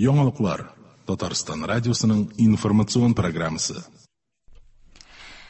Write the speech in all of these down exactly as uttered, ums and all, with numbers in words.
Яңалыклар Татарстан радиосының информацион программасы.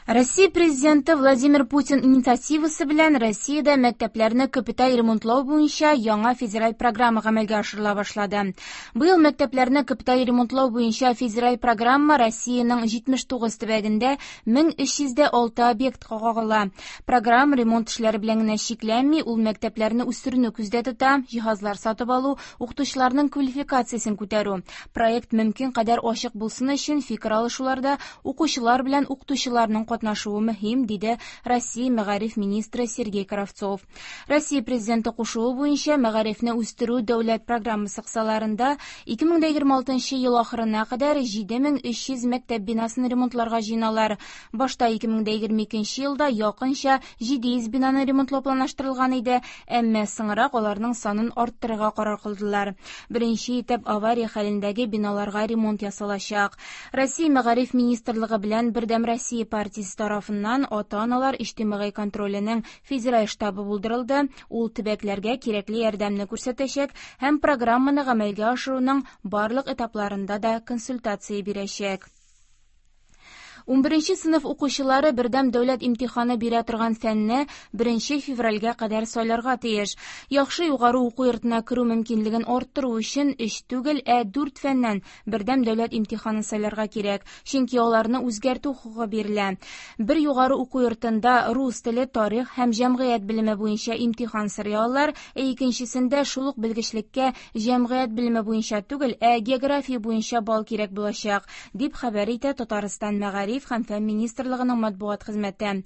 Россия президенты Владимир Путин инициативасы белән Россиядә мәктәпләрне капиталь ремонтлау буенча яңа федераль программа гамәлгә ашырыла башлады. Быел мәктәпләрне капиталь ремонтлау буенча федераль программа Россиянең җитмеш тугыз төбәгендә мең өч йөз дә алты объектка кагыла. Программа ремонт эшләре белән генә чикләнми, ул мәктәпләрне үстерүне күздә тота, җиһазлар сатып алу, укытучыларның квалификациясен күтәрү. Проект мөмкин кадәр ачык булсын өчен фикер алышуларда укучылар белән укытучыларның катнашуы мөһим, диде Россия мәгариф министры Сергей Кравцов. Россия президенты кушуы буенча мәгарифне үстерү дәүләт программасы кысаларында ике мең дә егерме алтынчы ел ахырына кадәр җиде мең өч йөз мәктәп бинасын ремонтларга җыеналар. Башта ике мең дә егерме икенче елда якынча җиде йөз бинаны ремонтлау планлаштырылган иде, әмма соңрак аларның санын арттырырга карар кылдылар. Беренче итеп авария хәлендәге биналарга ремонт ясалачак. Россия мәгариф министрлыгы белән Бердәм Россия партиясе тарафыннан ата-аналар иҗтимагый контроленең федераль штабы булдырылды. Ул төбәкләргә кирәкле ярдәмне күрсәтәчәк һәм программаны гамәлгә ашыруның барлык этапларында да консультация бирәчәк. Унберенче сыйныф укучылары бердәм дәүләт имтиханы бирә торган фәнне беренче февральгә кадәр сайларга тиеш. Яхшы югары уку йортына керү мөмкинлеген арттыру өчен өч түгел, ә дүрт фәннән бердәм дәүләт имтиханын сайларга кирәк, чөнки аларны үзгәртү хокукы бирелә. Бер югары уку йортында рус теле, тарих һәм җәмгыять белеме буенча имтихан сорый алалар, ә икенчесендә шул ук белгечлеккә җәмгыять белеме буенча түгел, ә география буенча балл кирәк булачак, дип хәбәр итә Татарстан мәгариф һәм фән министрлыгының матбугат хезмәте.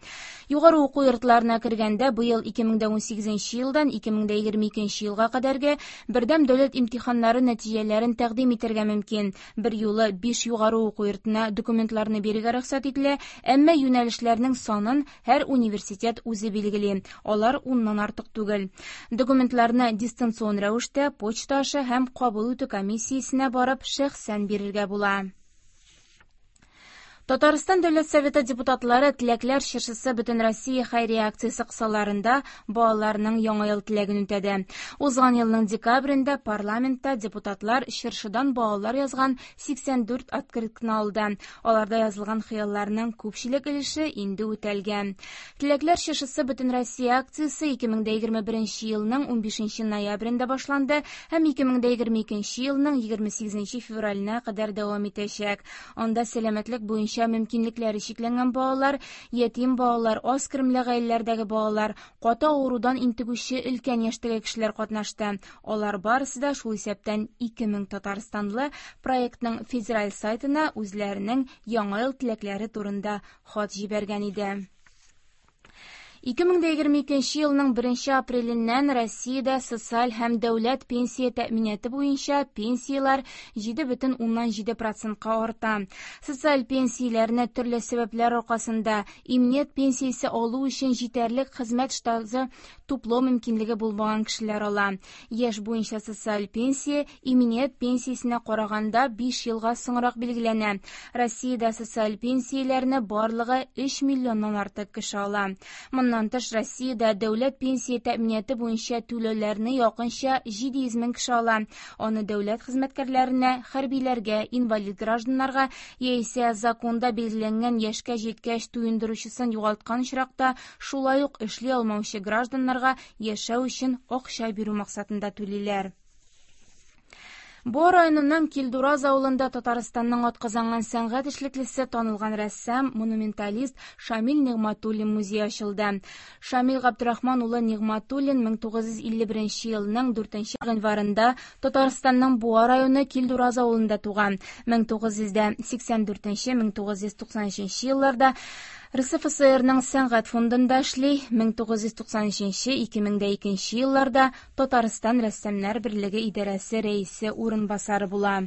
Югары уку йортларына кергәндә быел ике мең дә унсигезенче елдан ике мең дә егерме икенче елга кадәрге бердәм дәүләт имтиханнары нәтиҗәләрен тәкъдим итәргә мөмкин. Бер юлы биш югары уку йортына документларны бирергә рөхсәт ителә, әмма юнәлешләрнең санын һәр университет үзе билгели. Алар уннан артык түгел. Документларны дистанцион рәвештә почта аша һәм кабул итү комиссиясенә барып шәхсән бирергә була. Татарстан Дәүләт Советы депутатлары Теләкләр чыршысы Бөтенроссия хәйрия акциясе кысаларында балаларның яңа ел теләген үтәде. Узган елның декабрендә парламентта депутатлар чыршыдан балалар язган сиксән дүрт открытканы алды. Аларда язылган хыялларның күпчелек өлеше инде үтәлгән. Теләкләр чыршысы Бөтенроссия акциясе ике мең дә егерме беренче елның унбишенче ноябрендә башланды һәм ике мең дә егерме икенче елның егерме сигезенче февраленә кадәр дәвам итәчәк. Анда сәламәтлек буенча мөмкинлекләре чикләнгән балалар, ятим балалар, аз керемле гаиләләрдәге балалар, каты авырудан интегүче өлкән яшьтәге кешеләр катнашты. Алар барысы да, шул исәптән ике мең татарстанлы, проектның федераль сайтына үзләренең яңа ел теләкләре турында хат җибәргән иде. Ике мең дә егерме икенче елның беренче апреленнән Россиядә социаль һәм дәүләт пенсия тәэминаты буенча пенсияләр җиде бөтен уннан җиде процентка арта. Социаль пенсияләрне төрле сәбәпләр аркасында иминият пенсиясе алу өчен җитәрлек хезмәт стажы туплау мөмкинлеге булмаган кешеләр ала. Яшь буенча социаль пенсия иминият пенсиясенә караганда биш елга соңрак билгеләнә. Россиядә социаль пенсияләрне барлыгы өч миллионнан артык кеше ала. Моннан тыш, Россиядә дәүләт пенсия тәэминаты буенча түләүләрне якынча җиде йөз мең кеше ала. Аны дәүләт хезмәткәрләренә, хәрбиләргә, инвалид гражданнарга яисә законда билгеләнгән яшькә җиткәч туендыручысын югалткан очракта шулай ук эшли алмаучы гражданнарга яшәү өчен акча бирү максатында түлиләр. Буа районының Килдураз авылында Татарстанның атказанган сәнгать эшлеклесе, танылган рәссам, монументалист Шамил Нигъмәтуллин музее ачылды. Шамил Габдрахман улы Нигъмәтуллин мең тугыз йөз илле беренче елның дүртенче гыйнварында Татарстанның Буа районы Килдураз авылында туган. Мең тугыз йөз дә сиксән дүртенче, мең тугыз йөз туксан өченче елларда Р С Ф С Рның сәнгать фондында эшли. Мең тугыз йөз туксан өченче, ике мең дә икенче елларда Татарстан Рәссамнар берлеге идарәсе рәисе урынбасары була.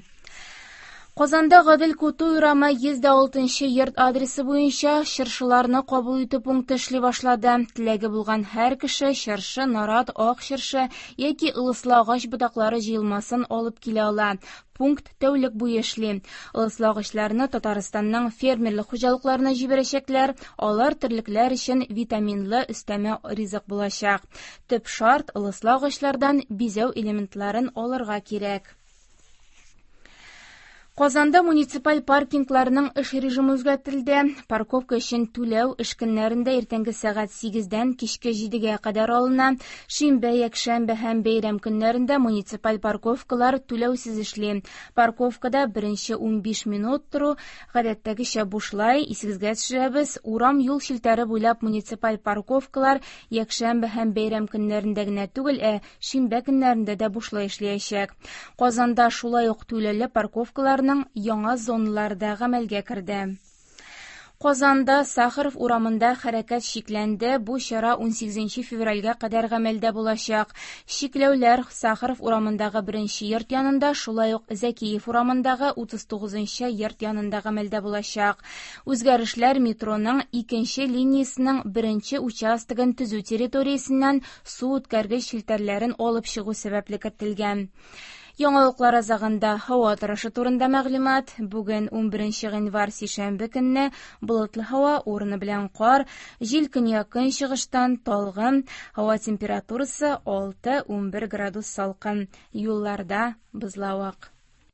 Казанда Гадел Кутуй урамы йөз дә алтынчы йорт адресы буенча чыршыларны кабул итү пункты эшли башлады. Теләге булган һәр кеше чыршы, нарат, ак чыршы яки ылыслы агач ботаклары җыелмасын алып килә ала. Пункт тәүлек буе эшли. Ылыслы агачларны Татарстанның фермерлык хуҗалыкларына җибәрәчәкләр. Алар терлекләр өчен витаминлы өстәмә ризык булачак. Төп шарт ылыслы агачлардан бизәү элементларын алырга кирәк. Казанда муниципаль паркингларның эш режимы үзгәртелде. Парковка өчен түләү эш көннәрендә иртәнге сәгать сигездән кичке җидегә кадәр алына. Шимбә, якшәмбе һәм бәйрәм көннәрендә муниципаль парковкалар түләүсез эшли. Парковкада беренче унбиш минут тору гадәттәгечә бушлай. Исегезгә төшерәбез, урам юл челтәре буйлап муниципаль парковкалар якшәмбе һәм бәйрәм көннәрендә генә түгел, ә шимбә көннәрендә дә бушлай эшләячәк. Казанда шулай ук түләүле парковкаларны яңа зоналарда гамәлгә керде. Казанда Сахаров урамында хәрәкәт чикләнде. Бу чара унсигезенче февральгә кадәр гамәлдә булачак. Чикләүләр Сахаров урамындагы беренче йорт янында, шулай ук Зәкиев урамындагы утыз тугызынчы йорт янында гамәлдә булачак. Үзгәрешләр метроның икенче линиясенең беренче участогын төзү территориясеннән су үткәргеч челтәрләрен алып чыгу сәбәпле кертелгән. Яңалыклар азагында һава торышы турында мәгълүмат. Бүген унберенче гыйнвар сишәмбе көнне болытлы һава, урыны белән кар, җил көньяк-көнчыгыштан талгын, һава температурасы алты-унбер градус салкын, юлларда бозлавык.